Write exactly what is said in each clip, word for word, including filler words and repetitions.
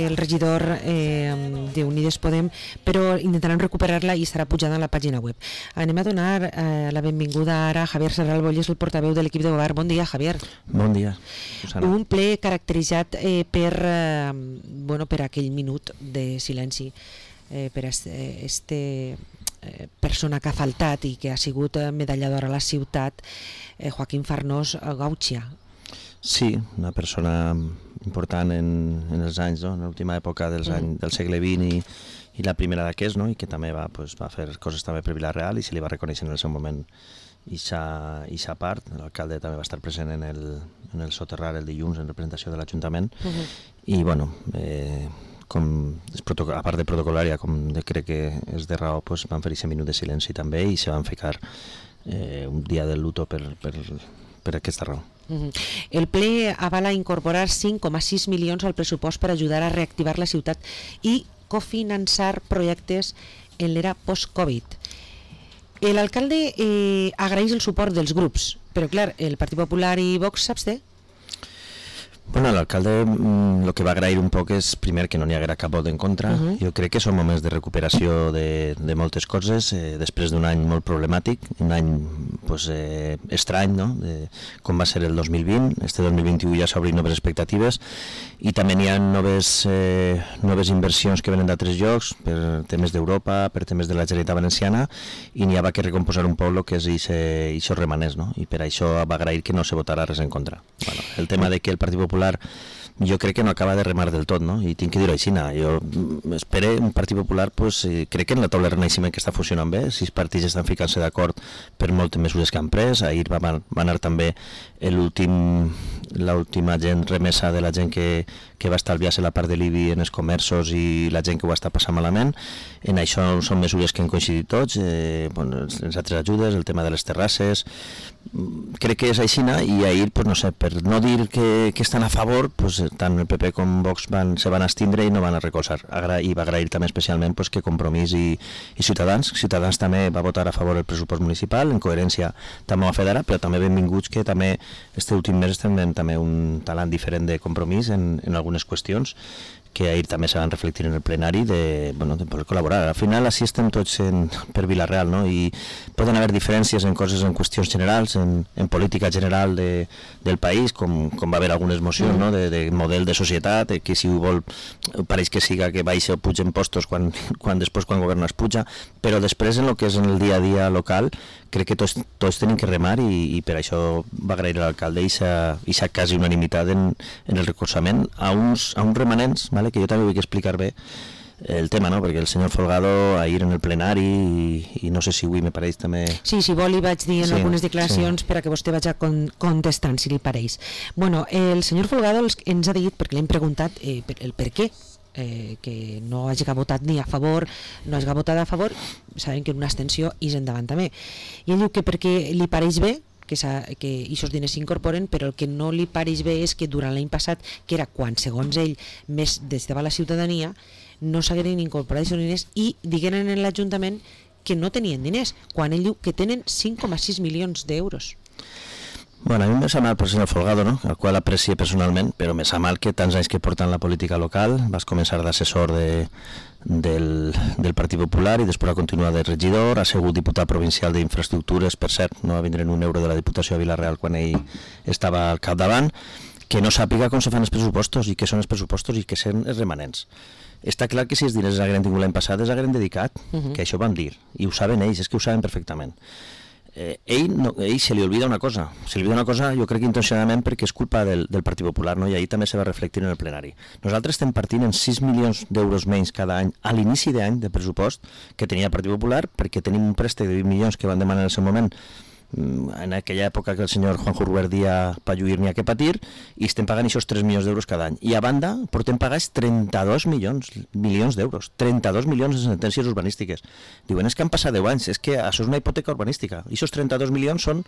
el regidor eh, d'Unides Podem, però intentaran recuperar-la i estarà pujada a la pàgina web. Anem a donar eh, la benvinguda ara a Javier Serral-Boll, és el portaveu de l'equip de govern. Bon dia, Javier. Bon dia, Susana. Un ple caracteritzat eh, per, eh, bueno, per aquell minut de silenci, eh, per este, este eh, persona que ha faltat i que ha sigut medallador a la ciutat, eh, Joaquín Farnós Gauchia. Sí, una persona important en, en els anys, no? En l'última època dels mm. anys, del segle vint i, i la primera d'aquests, no? I que també va, pues, va fer coses també per Vila-real i se li va reconèixer en el seu moment ixa part. L'alcalde també va estar present en el, en el soterrar el dilluns en representació de l'Ajuntament. Mm-hmm. I bueno, eh, com a part de protocolària, com de, crec que és de raó, pues, van fer aquest minut de silenci també i se van ficar eh, un dia de luto per, per, per aquesta raó. El ple avala incorporar cinc coma sis milions al pressupost per ajudar a reactivar la ciutat i cofinançar projectes en l'era post-Covid. L'alcalde eh, agraeix el suport dels grups, però clar, el Partit Popular i Vox s'absté? Bueno, l'alcalde el que va agrair un poc és, primer, que no n'hi haguera cap vot en contra. Uh-huh. Jo crec que són moments de recuperació de, de moltes coses, eh, després d'un any molt problemàtic, un any pues, eh, estrany, no? De, com va ser el dos mil vint. Este dos mil vint-i-u ja s'obrin noves expectatives i també n'hi ha noves, eh, noves inversions que venen d'altres llocs, per temes d'Europa, per temes de la Generalitat Valenciana, i n'hi ha que recomposar un poc el que és això remanés, no? I per això va agrair que no se votara res en contra. Bueno, el tema de que el Partit Popular jo crec que no acaba de remar del tot, no? I tinc que dir-ho així, jo espero un Partit Popular, pues, crec que en la taula de renaixement que està funcionant bé, sis partits estan ficant-se d'acord per moltes mesures que han pres. Ahir va, va anar també l'última gent remesa de la gent que, que va estalviar-se la part de l'I B I en els comerços i la gent que ho està passant malament. En això són mesures que han coincidit tots, eh, bueno, les altres ajudes, el tema de les terrasses, crec que és així, i ahir, pues, no sé, per no dir que, que estan a favor, pues, tant el P P com Vox van, se van estindre i no van a recolzar. Agra I va agrair també especialment, pues, que Compromís i, i Ciutadans, Ciutadans també va votar a favor del pressupost municipal, en coherència també ho ha fet ara, però també benvinguts que també este últim mes estem veient també un talant diferent de Compromís en, en algunes qüestions que ahir també se van reflectir en el plenari de, bueno, de poder col·laborar. Al final així estem tots en, per Vila-real, no? I poden haver diferències en coses, en qüestions generals, en, en política general de, del país, com, com va haver algunes mocions, no? de, de model de societat, que si ho vol pareix que siga que baixa o puja impostos quan, quan després quan governa es puja, però després en el que és en el dia a dia local crec que tots, tots tenim que remar i, i per això va agrair a l'alcalde i s'ha quasi unanimitat en, en el recolzament a uns, a uns remanents, vale? Que jo també vull explicar bé el tema, no? Perquè el senyor Folgado ahir en el plenari i, i no sé si avui me pareix també... Sí, si vol li vaig dir en sí, algunes declaracions sí. Per a que vostè vagi contestant, si li pareix. Bueno, el senyor Folgado ens ha dit, perquè l'hem preguntat eh, el per què, Eh, que no hagi votat ni a favor, no hagi votat a favor, sabem que una abstenció és endavant també. I ell diu que perquè li pareix bé que aquests diners s'incorporen, però el que no li pareix bé és que durant l'any passat, que era quan, segons ell, més des de la ciutadania, no s'hagueren incorporat aquests diners i digueren en l'Ajuntament que no tenien diners, quan ell diu que tenen cinc coma sis milions d'euros. Bueno, a mi me sap mal per senyor Folgado, no? El qual aprecio personalment, però me sap mal que tants anys que porten la política local, vas començar d'assessor de, del, del Partit Popular i després va continuar de regidor, ha sigut diputat provincial d'Infraestructures, per cert, no va vindre un euro de la Diputació de Vila-real quan ell estava al capdavant, que no sàpiga com se fan els pressupostos i què són els pressupostos i què són els remanents. Està clar que si els diners hagueren tingut l'any passat els hagueren dedicat, uh-huh. que això van dir, i ho saben ells, és que ho saben perfectament. Eh, ell, no, ell se li olvida una cosa, se li olvida una cosa jo crec que intencionadament perquè és culpa del, del Partit Popular, no? I ahir també se va reflectir en el plenari. Nosaltres estem partint en sis milions d'euros menys cada any a l'inici d'any de pressupost que tenia el Partit Popular, perquè tenim un préstec de vint milions que van demanar en el seu moment en aquella època que el senyor Juanjo Ruberdia pa lluir n'hi ha que patir, i estem pagant aquests tres milions d'euros cada any. I a banda portem pagats trenta-dos milions milions d'euros, trenta-dos milions de sentències urbanístiques. Diuen, és que han passat deu anys, és que això és una hipoteca urbanística. I aquests trenta-dos milions són,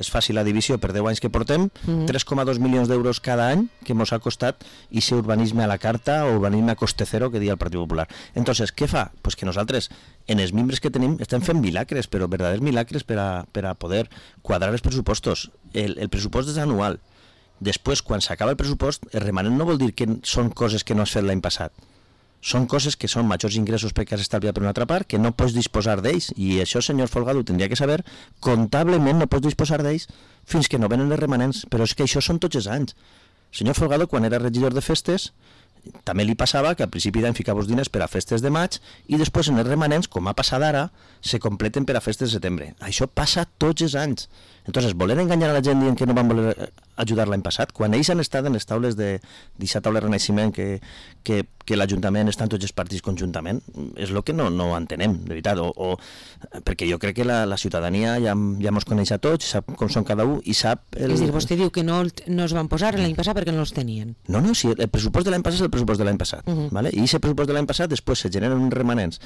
és fàcil la divisió per deu anys que portem, mm-hmm. tres coma dos milions d'euros cada any que ens ha costat aquest urbanisme a la carta o urbanisme a coste cero que dia el Partit Popular. Entonces, què fa? Pues que nosaltres, en els membres que tenim, estem fent milagres, però verdaders milagres per a, per a poder quadrar els pressupostos. El, el pressupost és anual. Després, quan s'acaba el pressupost, el remanent no vol dir que són coses que no has fet l'any passat. Són coses que són majors ingressos perquè has estalviat per una altra part, que no pots disposar d'ells, i això, senyor Folgado, tindria que saber, comptablement no pots disposar d'ells fins que no venen els remanents, però és que això són tots els anys. Senyor Folgado, quan era regidor de festes, també li passava que al principi d'any ficava els diners per a festes de maig i després en els remanents, com ha passat ara, se completen per a festes de setembre. Això passa tots els anys. Entonces, voler enganyar a la gent dient que no van voler ajudar l'any passat, quan ells han estat en les taules de d'aquesta taula de renaixement que, que, que l'Ajuntament estan tots els partits conjuntament, és el que no, no entenem, de veritat, o, o, perquè jo crec que la, la ciutadania ja, ja mos coneix a tots, sap com són cada un i sap... El... És dir, vostè diu que no, no es van posar l'any passat perquè no els tenien. No, no, sí, el pressupost de l'any passat és el pressupost de l'any passat, uh -huh. ¿vale? I aquest pressupost de l'any passat després se generen uns remanents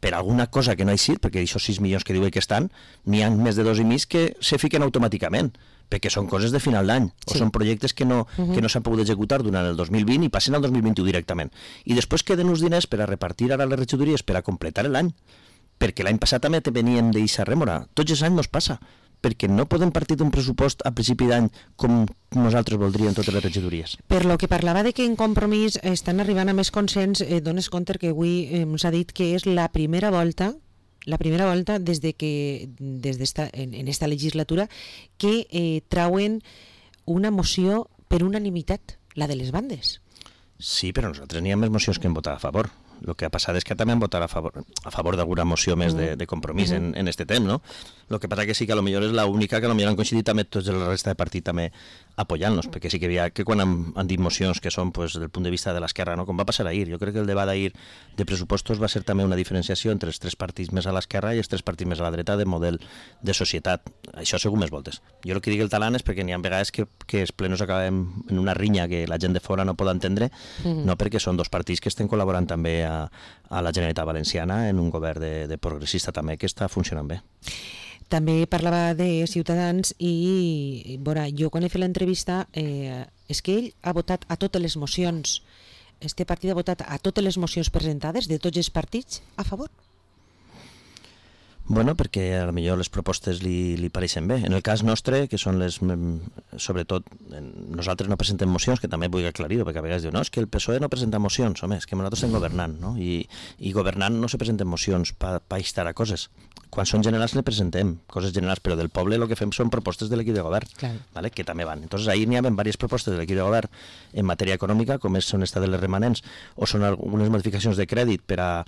per alguna cosa que no ha eixit, perquè aquests sis milions que diuen que estan, n'hi ha més de dos i mig que se fiquen automàticament, perquè són coses de final d'any, sí. o són projectes que no, uh -huh. que no s'han pogut executar durant el dos mil vint i passen al dos mil vint-i-u directament. I després queden uns diners per a repartir ara les regidories per a completar l'any, perquè l'any passat també te venien d'eixa rèmora. Tots els anys nos passa, perquè no podem partir d'un pressupost a principi d'any com nosaltres voldríem totes les regidories. Per lo que parlava de que en Compromís estan arribant a més consens, eh, dones compte que avui eh, ens ha dit que és la primera volta la primera volta des de que des d'esta, en, en esta legislatura que eh, trauen una moció per unanimitat, la de les bandes. Sí, però nosaltres n'hi ha més mocions que hem votat a favor. El que ha passat és que també han votat a favor, a favor d'alguna moció més de, de compromís uh -huh. en, en este temps, no? El que passa que sí que a lo millor és l'única que a lo millor han coincidit també tots la resta de partit també apoyant-nos, perquè sí que havia que quan han, han dit mocions que són pues, del punt de vista de l'esquerra, no? Com va passar ahir, jo crec que el debat d'ahir de pressupostos va ser també una diferenciació entre els tres partits més a l'esquerra i els tres partits més a la dreta de model de societat. Això segur més voltes. Jo el que dic el talant és perquè n'hi ha vegades que, que els plenos acabem en una rinya que la gent de fora no pot entendre, uh -huh. no perquè són dos partits que estem col·laborant també a, a la Generalitat Valenciana en un govern de, de progressista també que està funcionant bé. També parlava de Ciutadans i, veure, jo quan he fet l'entrevista eh, és que ell ha votat a totes les mocions, este partit ha votat a totes les mocions presentades de tots els partits a favor. Bueno, perquè a lo millor les propostes li, li pareixen bé. En el cas nostre, que són les... Sobretot, nosaltres no presentem mocions, que també vull aclarir-ho, perquè a vegades diu, no, és que el P S O E no presenta mocions, home, és que nosaltres estem governant, no? I, i governant no se presenten mocions per pa instar a coses. Quan són generals le presentem coses generals, però del poble el que fem són propostes de l'equip de govern, claro. ¿Vale? Que també van. Entonces ahir n'hi ha diverses propostes de l'equip de govern en matèria econòmica, com són esta de les remanents, o són algunes modificacions de crèdit per a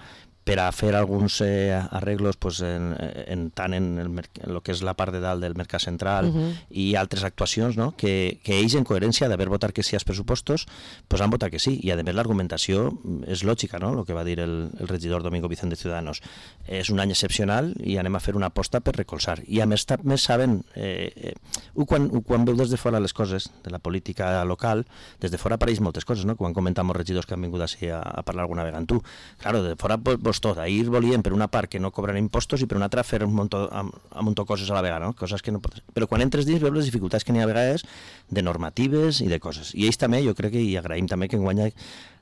per a fer alguns eh, arreglos pues, en, en, tant en el, en el que és la part de dalt del mercat central uh-huh. i altres actuacions, no? que, que ells en coherència d'haver votat que sí als pressupostos pues han votat que sí, i a més l'argumentació és lògica, no? El que va dir el, el regidor Domingo Vicente de Ciudadanos, és un any excepcional i anem a fer una aposta per recolzar, i a més també saben eh, eh, quan, quan veu des de fora les coses de la política local, des de fora apareix moltes coses, no? Quan comentam els regidors que han vingut així a, a parlar alguna vegada amb tu, claro, de fora vos tot. Ahir volien per una part que no cobren impostos i per una altra fer un munt de coses a la vegada, no? Coses que no pot... Però quan entres dins veus les dificultats que n'hi ha a vegades de normatives i de coses. I ells també, jo crec que hi agraïm també que enguany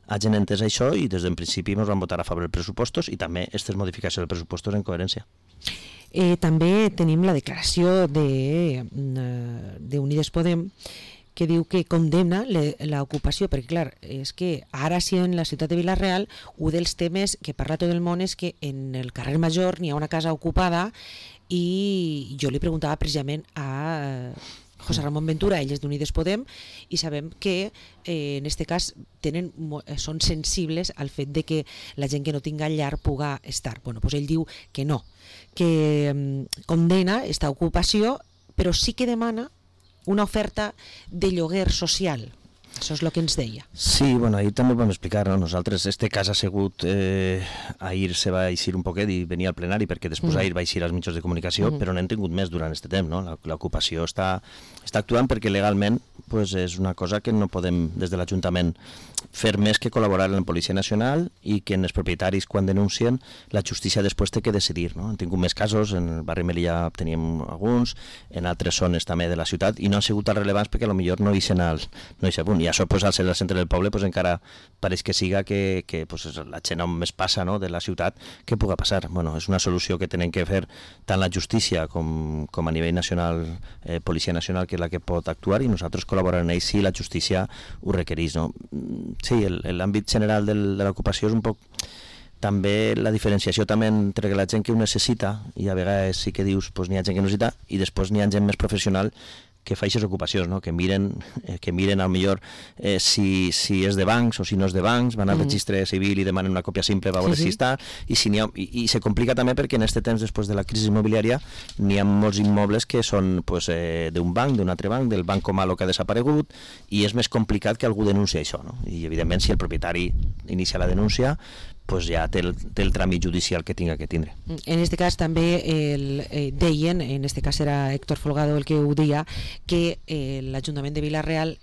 hagin entès això i des del principi ens van votar a favor dels pressupostos i també aquestes modificacions dels pressupostos en coherència. Eh, també tenim la declaració de, de Unides Podem que diu que condemna l'ocupació, perquè clar, és que ara sí en la ciutat de Vila-real un dels temes que parla tot el món és que en el carrer Major n'hi ha una casa ocupada i jo li preguntava precisament a José Ramón Ventura, ell és d'Unides Podem, i sabem que eh, en este cas tenen, són sensibles al fet de que la gent que no tinga llar puga estar. Bueno, doncs ell diu que no, que eh, condena aquesta ocupació, però sí que demana una oferta de lloguer social. Això és el que ens deia. Sí, bueno, ahir també ho vam explicar, no? Nosaltres, este cas ha sigut, eh, ahir se va eixir un poquet i venia al plenari perquè després mm. ahir va eixir als mitjans de comunicació, mm. però n'hem tingut més durant este temps, no? L'ocupació està, està actuant perquè legalment pues, és una cosa que no podem des de l'Ajuntament fer més que col·laborar amb la Policia Nacional i que en els propietaris quan denuncien la justícia després té que decidir, no? Han tingut més casos, en el barri Melilla teníem alguns, en altres zones també de la ciutat i no han sigut tan rellevants perquè potser no hi eixen al no hi eixen. I I això, pues, al ser el centre del poble, pues, encara pareix que siga que, que pues, la gent on més passa, no?, de la ciutat, que puga passar. Bueno, és una solució que tenen que fer tant la justícia com, com a nivell nacional, eh, Policia Nacional, que és la que pot actuar, i nosaltres col·laborarem en ells si la justícia ho requereix, no? Sí, l'àmbit general del, de l'ocupació és un poc... També la diferenciació també entre la gent que ho necessita, i a vegades sí que dius pues, n'hi ha gent que necessita, i després n'hi ha gent més professional que fa aquestes ocupacions, no? que miren, eh, que miren al millor eh, si, si és de bancs o si no és de bancs, van al mm. registre civil i demanen una còpia simple per veure sí, sí. si està, i, si ha, i, i se complica també perquè en aquest temps, després de la crisi immobiliària, n'hi ha molts immobles que són pues, eh, d'un banc, d'un altre banc, del Banco Malo que ha desaparegut, i és més complicat que algú denuncie això, no? I evidentment si el propietari inicia la denúncia, pues ja té el, té el tràmit judicial que tinga que tindre. En este cas també el, eh, deien, en este cas era Héctor Folgado el que ho deia, que eh, l'Ajuntament de Vila-real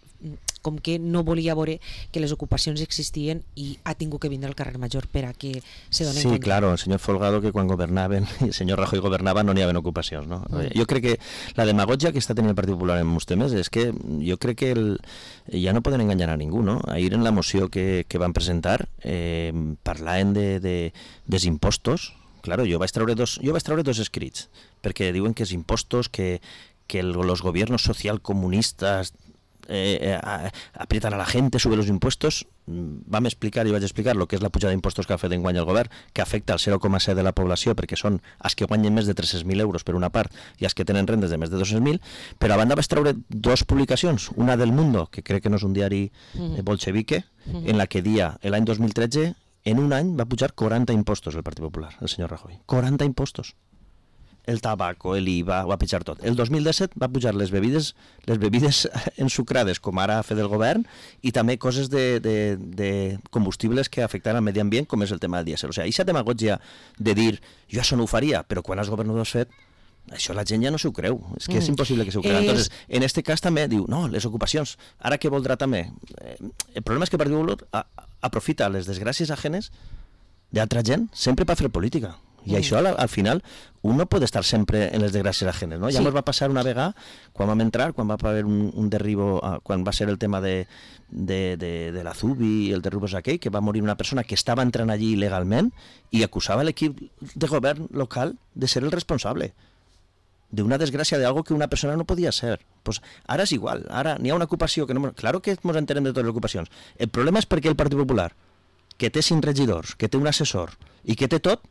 com que no volia veure que les ocupacions existien i ha tingut que vindre al carrer Major per a que se donen sí, compte. Sí, claro, el senyor Folgado que quan governaven, i el senyor Rajoy governava, no n'hi havia ocupacions, no? Mm. Jo crec que la demagogia que està tenint el Partit Popular en molts temes és que jo crec que el, ja no poden enganyar a ningú, no? Ahir en la moció que, que van presentar eh, parlaven de, de, dels impostos. Claro, jo vaig treure dos, jo vaig treure dos escrits, perquè diuen que els impostos, que, que el, los gobiernos socialcomunistas Eh, eh, aprietan a la gente, suben los impuestos. Vam explicar, i vaig explicar lo que és la pujada d'impostos que ha fet enguany el govern, que afecta al zero coma set de la població, perquè són els que guanyen més de tres-cents mil euros per una part i els que tenen rendes de més de dos-cents mil, però a banda vaig treure dues publicacions, una del Mundo, que crec que no és un diari eh, bolchevique, uh-huh. en la que dia l'any dos mil tretze, en un any va pujar quaranta impostos el Partit Popular, el senyor Rajoy. quaranta impostos. El tabaco, l'I V A, ho va pitjar tot. El dos mil disset va pujar les bebides les bebides ensucrades, com ara ha fet el govern, i també coses de, de, de combustibles que afecten al medi ambient, com és el tema del dièsel. O sigui, aquesta demagogia de dir jo això no ho faria, però quan els governadors fet, això la gent ja no s'ho creu. És que mm. és impossible que s'ho creu. Entonces, en este cas també diu, no, les ocupacions, ara què voldrà també? El problema és que el Partit Popular aprofita les desgràcies ajenes d'altra gent sempre per fer política. I mm. això al, al final un no pot estar sempre en les desgràcies ajenes, no? Ja sí. Ens va passar una vegada quan vam entrar, quan va haver un, un derribo, quan va ser el tema de, de, de, de la Zubi i el derribo aquell, que va morir una persona que estava entrant allí il·legalment i acusava l'equip de govern local de ser el responsable d'una desgràcia d'algo que una persona no podia ser. Pues ara és igual, ara n'hi ha una ocupació que no... Claro que ens entenem de totes les ocupacions. El problema és perquè el Partit Popular, que té cinc regidors, que té un assessor i que té tot,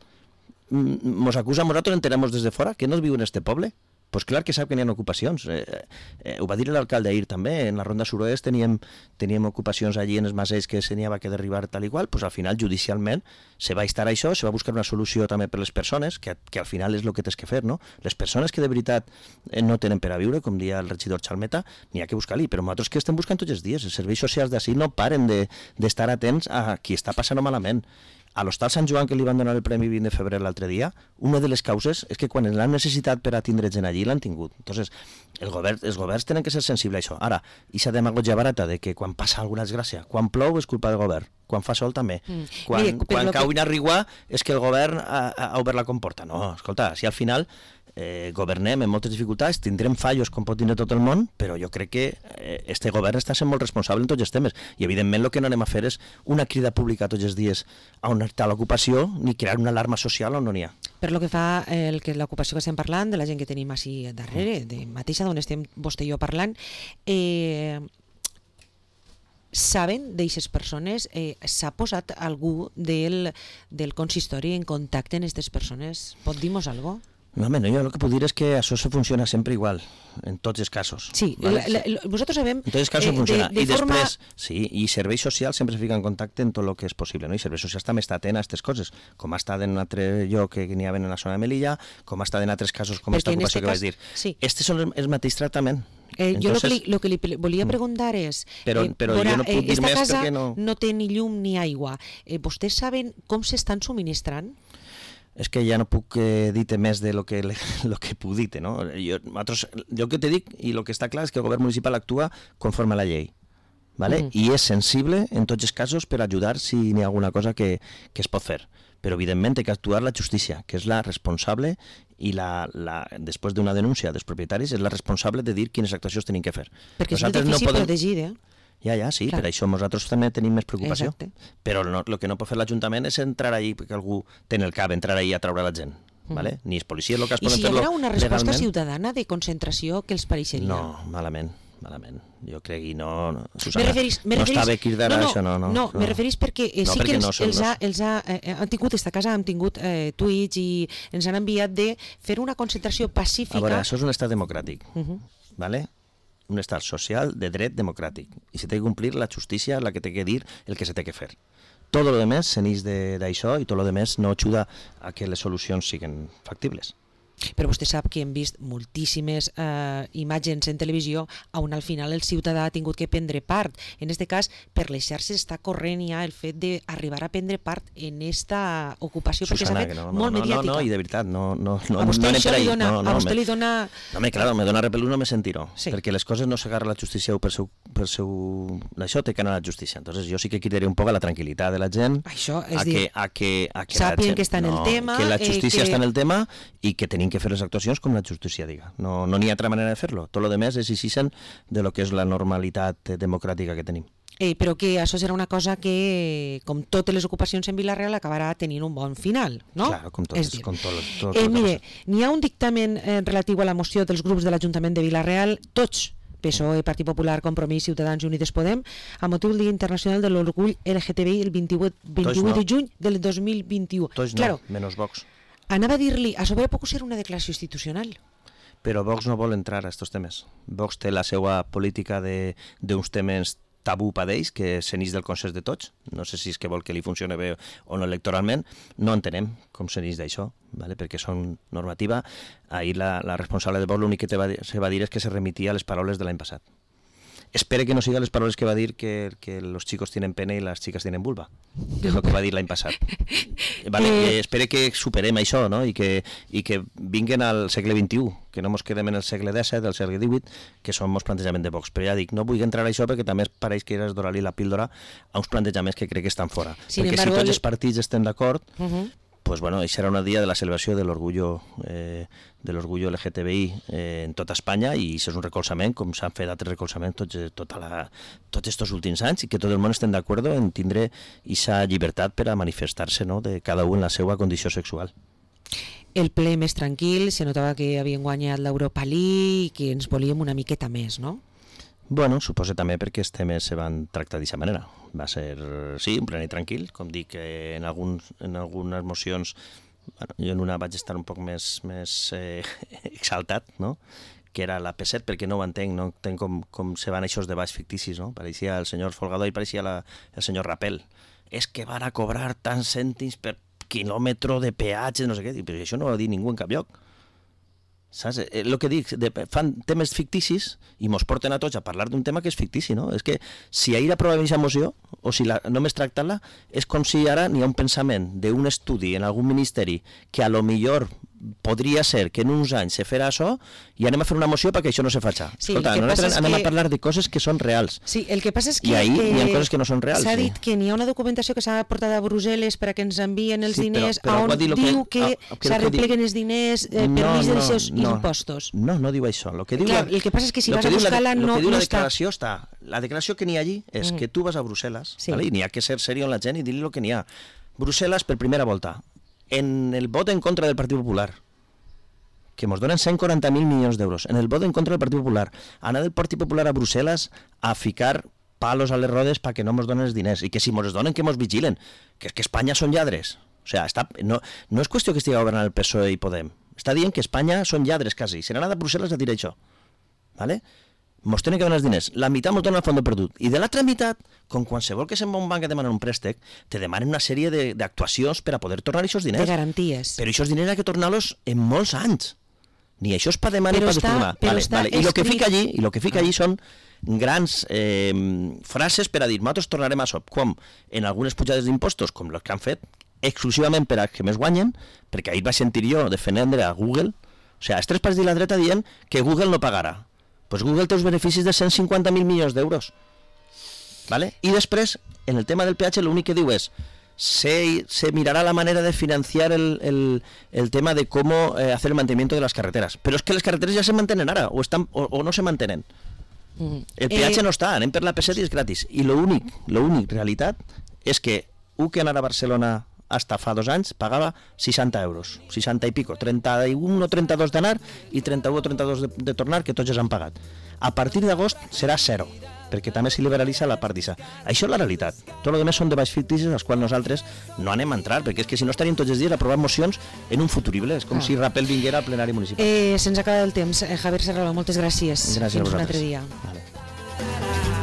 mos acusa a nosaltres enteramos des de fora que no es viu en este poble. Pues clar que sap que n'hi ha ocupacions. Eh, eh, ho va dir l'alcalde ahir també, en la ronda suroest teníem, teníem ocupacions allí en els masells que se n'hi havia que derribar tal i qual, pues al final judicialment se va estar això, se va buscar una solució també per les persones, que, que al final és el que tens que fer, no? Les persones que de veritat no tenen per a viure, com dia el regidor Chalmeta, n'hi ha que buscar-li, però nosaltres que estem buscant tots els dies, els serveis socials d'ací no paren d'estar de, atents a qui està passant malament. A l'Hostal Sant Joan, que li van donar el Premi vint de febrer l'altre dia, una de les causes és que quan l'han necessitat per a tindre gent allí, l'han tingut. Entonces, el govern, els governs tenen que ser sensibles a això. Ara, aquesta demagogia barata de que quan passa alguna desgràcia, quan plou és culpa del govern, quan fa sol també, mm. quan, Mira, quan cau que... una rigua és que el govern ha, ha obert la comporta. No, escolta, si al final eh, governem amb moltes dificultats, tindrem fallos com pot tindre tot el món, però jo crec que eh, este govern està sent molt responsable en tots els temes, i evidentment el que no anem a fer és una crida pública tots els dies a on està l'ocupació, ni crear una alarma social on no n'hi ha. Per lo que fa el que l'ocupació que estem parlant, de la gent que tenim així darrere, de mateixa d'on estem vostè i jo parlant, eh, saben d'aixes persones, eh, s'ha posat algú del, del consistori en contacte amb aquestes persones? Pot dir-nos alguna cosa? No, home, no, jo el que puc dir és que això se funciona sempre igual, en tots els casos. Sí, ¿vale? la, la, vosaltres sabem... En tots els casos eh, funciona. De, de I forma... després, sí, i serveis socials sempre es fica en contacte en tot el que és possible, no? I serveis socials també està atent a aquestes coses, com ha estat en un altre lloc que n'hi havia en la zona de Melilla, com ha estat en altres casos com aquesta ocupació este que cas... vaig dir. Sí. Este són el, el mateix tractament. Eh, jo Entonces, el que, li, que li volia preguntar és... Però, eh, però veure, jo no puc dir més perquè no... no té ni llum ni aigua. Eh, vostès saben com s'estan subministrant? És que ja no puc eh, dir-te més de lo que, lo que puc dir-te, no? Jo, nosaltres, jo que te dic, i el que està clar és que el govern municipal actua conforme a la llei, ¿vale? Mm. I és sensible en tots els casos per ajudar si n'hi ha alguna cosa que, que es pot fer. Però evidentment té que actuar la justícia, que és la responsable i la, la, després d'una denúncia dels propietaris és la responsable de dir quines actuacions tenim que fer. Perquè Nosaltres és molt difícil no podem... protegir, eh? Ja, ja, sí, Clar. per això nosaltres també tenim més preocupació. Exacte. Però no, el que no pot fer l'Ajuntament és entrar ahí, perquè algú té en el cap, entrar ahí a treure la gent. Mm. Vale? Ni els policies locals I poden si hi fer-lo haguera una resposta legalment. ciutadana de concentració, què els pareixeria? No, malament, malament. Jo crec que no... no Me Susana, referís, me no referís, està bé cridar no, no, això, no. No, no, no. me referís perquè eh, no, sí perquè que els, no són els, ha, dos. els ha, eh, han tingut, esta casa han tingut eh, tuits i ens han enviat de fer una concentració pacífica... A veure, això és un estat democràtic, uh -huh. ¿vale? Un estat social de dret democràtic. I se té que complir la justícia, la que té que dir el que se té que fer. Tot el demés se n'ix d'això i tot el demés no ajuda a que les solucions siguin factibles. Però vostè sap que hem vist moltíssimes eh, imatges en televisió on al final el ciutadà ha tingut que prendre part. En aquest cas, per les xarxes està corrent ja el fet d'arribar a prendre part en esta ocupació, perquè s'ha fet no, no, molt no, mediàtica. No, no, i de veritat, no, no, no, a vostè no això li dona... no, no, a vostè me, li dona... No, me, claro, me dona repelús, no me sentiró, sí. perquè les coses no s'agarra la justícia per seu, per seu... Això té que anar a la justícia. Entonces jo sí que cridaria un poc a la tranquil·litat de la gent, això, és a, dir, que, a que, a que sàpien la gent, que està en el no, tema... que la justícia eh, que... està en el tema i que tenim que fer les actuacions com la justícia diga. No no n'hi ha altra manera de fer-lo. Tot el demés és així de lo que és la normalitat democràtica que tenim. Eh, però que això serà una cosa que, com totes les ocupacions en Vila-real, acabarà tenint un bon final, no? Claro, com tot, és com tot, tot, eh, tot mire, n'hi ha un dictamen eh, relatiu a la moció dels grups de l'Ajuntament de Vila-real, tots, P S O E, Partit Popular, Compromís, Ciutadans i Unides Podem, a motiu del Dia Internacional de l'Orgull L G T B I el vint-i-vuit, vint-i-vuit no. de juny del dos mil vint-i-u. Tots claro, no, menys Vox. Anava a dir-li, a sobre pot ser una declaració institucional. Però Vox no vol entrar a aquests temes. Vox té la seva política d'uns temes tabú per ells, que se n'ix del consens de tots. No sé si és que vol que li funcioni bé o no electoralment. No entenem com se n'ix d'això, ¿vale? Perquè són normativa. Ahir la, la responsable de Vox l'únic que te va, se va dir és que se remitia a les paraules de l'any passat. Espere que no siga les paraules que va dir que, que los chicos tienen pene y las chicas tienen vulva, que és el que va dir l'any passat. Vale, eh... espere que superem això, no? I que, i que vinguen al segle vint-i-u, que no mos quedem en el segle disset, del segle divuit, que són molts plantejaments de Vox. Però ja dic, no vull entrar a això perquè també pareix que és donar-li la píldora a uns plantejaments que crec que estan fora. Sin perquè embargo, si tots els partits estem d'acord, uh -huh. pues bueno, això serà un dia de la celebració de l'orgullo eh, de l'orgullo L G T B I eh, en tota Espanya, i això és un recolzament, com s'han fet altres recolzaments tots, tota la, tots estos últims anys, i que tot el món estem d'acord en tindre aquesta llibertat per a manifestar-se, no?, de cada un en la seva condició sexual. El ple més tranquil, se notava que havien guanyat l'Europa League i que ens volíem una miqueta més, no? Bueno, suposo també perquè els temes se van tractar d'aquesta manera. Va ser, sí, un ple tranquil, com dic, eh, en, alguns, en algunes mocions, bueno, jo en una vaig estar un poc més, més eh, exaltat, no?, que era la P set, perquè no ho entenc, no entenc com, com se van aquests debats ficticis, no? Pareixia el senyor Folgado i pareixia la, el senyor Rapel. És que van a cobrar tants cèntims per quilòmetre de peatge, no sé què, però això no ho ha dit ningú en cap lloc. Saps? El que dic, de, fan temes ficticis i mos porten a tots a parlar d'un tema que és fictici, no? És que si ahir aprovem aquesta moció, o si la, només tractar-la, és com si ara n'hi ha un pensament d'un estudi en algun ministeri que a lo millor podria ser que en uns anys se farà això i anem a fer una moció perquè això no se faci. Sí, Escolta, no anem que... a parlar de coses que són reals. Sí, el que passa és que... I ahir eh, hi ha coses que no són reals. S'ha sí. dit que n'hi ha una documentació que s'ha portat a Brussel·les per a que ens envien els sí, diners, però, però on dir diu que, que, que s'arrepleguen els diners eh, no, per mig dels seus no, impostos. No, no diu això. Lo que diu Clar, la, el que passa és que si vas a buscar-la no, no, no la està. Declaració està. La declaració que n'hi ha allí és mm. que tu vas a Brussel·les, sí. ¿vale? I n'hi ha que ser seriós amb la gent i dir-li el que n'hi ha. Brussel·les, per primera volta, en el vot en contra del Partit Popular, que ens donen cent quaranta mil milions d'euros, en el vot en contra del Partit Popular, anar del Partit Popular a Brussel·les a ficar palos a les rodes perquè no ens donen els diners, i que si ens donen que ens vigilen, que és que Espanya són lladres. O sigui, està, no, no és qüestió que estigui governant el P S O E i Podem, està dient que Espanya són lladres quasi, se n'han anat a Brussel·les a dir això, ¿vale? Mos tenen que donar els diners, la meitat mos donen el fons perdut, i de l'altra meitat, com qualsevol que se'n va a un banc a demanar un préstec, te demanen una sèrie d'actuacions per a poder tornar aquests diners. De garanties. Però aquests diners ha que tornar-los en molts anys. Ni això és per demanar ni per destornar. Vale, vale. I el que fica allí, i el que fica allí són grans eh, frases per a dir, nosaltres tornarem a això, com en algunes pujades d'impostos, com les que han fet, exclusivament per a que més guanyen, perquè ahir vaig sentir jo defendre a Google, o sigui, els tres partits de la dreta dient que Google no pagarà. Pues Google té uns beneficis de cent cinquanta mil milions d'euros. ¿Vale? I després, en el tema del peatge, l'únic que diu és se, se mirará la manera de financiar el, el, el tema de cómo eh, hacer el mantenimiento de las carreteras. Pero es que las carreteras ya se mantienen ahora, o, están, o, o no se mantienen. Mm. El peatge eh... no està, anem per la P set i és gratis. I l'únic, l'únic realitat és que un que anar a Barcelona hasta fa dos anys pagava seixanta euros, seixanta i pico, trenta-un o trenta-dos d'anar i trenta-u o trenta-dos de, de tornar, que tots ja s'han pagat. A partir d'agost serà zero, perquè també s'hi liberalitza la part d'I S A. Això és la realitat. Tot el que més són debats ficticis als quals nosaltres no anem a entrar, perquè és que si no estaríem tots els dies aprovant mocions en un futurible. És com ah. si Rapel vinguera al plenari municipal. Eh, se'ns acaba el temps. Eh, Javier Serraló, moltes gràcies. Gràcies Fins a vosaltres. un altre dia. Vale.